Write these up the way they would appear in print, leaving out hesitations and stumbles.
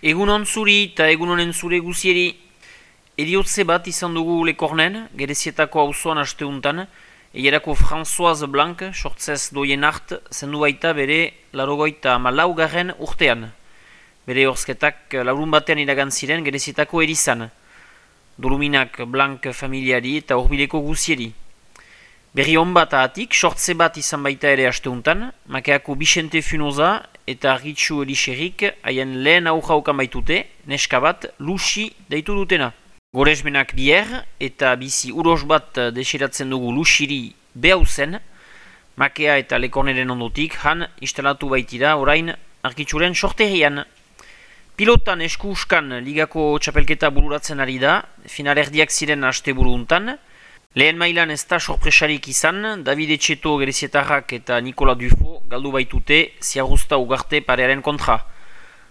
Egunon zuri eta egunonen zure guzieri, eriotze bat izan dugu Lekornen, Gerezietako auzoan asteuntan, eierako Françoise Blanc, sortzez doien hart, zendu baita bere larogoita malaugarren urtean. Bere horzketak laurun batean iragan ziren Gerezietako erizan, Doluminak Blanc familiari eta horbileko guzieri. Berri hon bat ahatik, sortze bat izan baita ere asteuntan, makeako Bixente Funoza eta Argitxu Elixerik haien lehen aujaukan baitute, neska bat Luxi deitu dutena. Goresmenak bier eta bizi uros bat desiratzen dugu Luxiri behau zen, makea eta Lekorneren ondotik han instalatu baitira orain Argitxuren sorterian. Pilotan esku-uskan ligako txapelketa bururatzen ari da, finalerdiak ziren asteburu untan. Lehen mailan ez da sorpresarik izan, David Etxeto Gerezietarrak eta Nikola Dufo galdu baitute Ziarruzta Ugarte parearen kontra.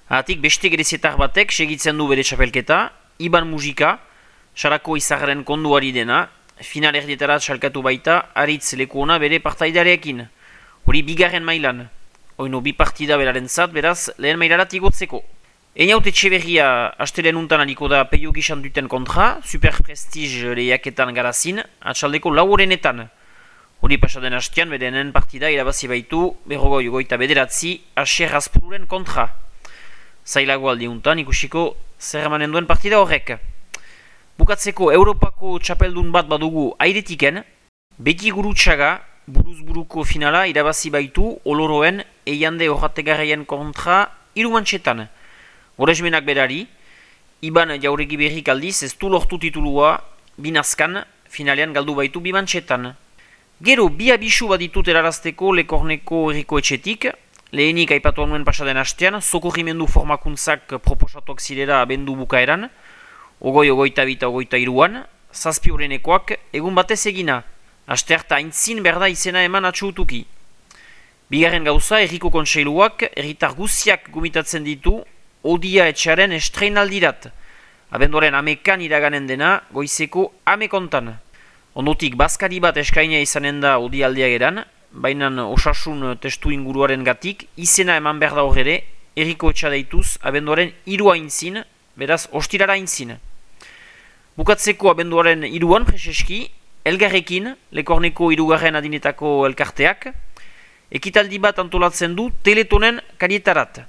Ahatik beste Gerezietar batek segitzen du bere txapelketa, Iban Mujika, Sarako Izarren konduari dena, finalerdietara txalkatu baita Aritz Lekuona bere partaidareekin. Hori bigarren mailan, oino bi partida beraren zat, beraz lehen mailarat igotzeko. Einaut Etxeberria astelen untan aliko da Peio Gixan duten kontra, Super Prestige lehiaketan garazin, atxaldeko laurenetan. Hori pasaden hastean, bedenen partida irabazi baitu, berrogoi goita bederatzi, Aser Azpururen kontra. Zailago aldi untan ikusiko zer emanen duen partida horrek. Bukatzeko Europako txapeldun bat badugu airetiken, beti gurutsaga, buruz-buruko finala irabazi baitu Oloroen eiande horrategarreien kontra irumantxetan. Goresmenak berari, Iban Jauregi berrik aldiz ez du lortu titulua binazkan finalean galdu baitu bimantxetan. Gero bi abisu bat ditut erarazteko Lekorneko herriko etxetik, lehenik aipatu nuen pasaden hastean, sokorrimendu formakuntzak proposatuak zirera abendu bukaeran, ogoita bita ogoita iruan, zazpi horrenekoak egun batez egina, astearta aintzin berda izena eman atxutuki. Bigarren gauza, herriko kontseiluak herritar guziak gomitatzen ditu Odia etxaren estreinaldirat. Abenduaren amekan iraganen dena, goizeko amekontan. Ondotik bazkari bat eskaina izanen da Odialdea geran, baina osasun testu inguruaren gatik, izena eman behar da horre, herriko etxa deituz, abenduaren 3 aintzin, beraz ostirara aintzin. Bukatzeko abenduaren 3an preseski, elgarrekin, Lekorneko 3. adinetako elkarteak, ekitaldi bat antolatzen du Teletonen karietarat.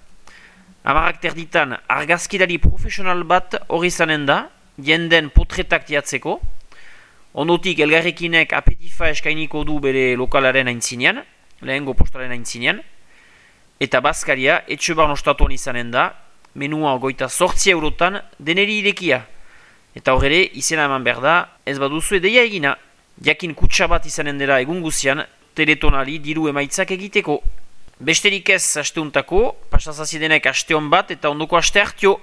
Amarak terditan argazkilari profesional bat hori zanen da, jenden potretak tiatzeko. Ondotik elgarrekinek apetifa eskainiko du bere lokalaren aintzinean, lehengo postaren aintzinean. Eta bazkaria etxebar nostatuan izanen da, menua goita 8 eurotan deneri irekia. Eta horre izena eman behar da, ez baduzu edeia egina. Jakin kutsa bat izanen dela egun guzian, Teletonali diru emaitzak egiteko. Besterik ez asteuntako, pasazazidenek asteon bat eta ondoko aste hartio.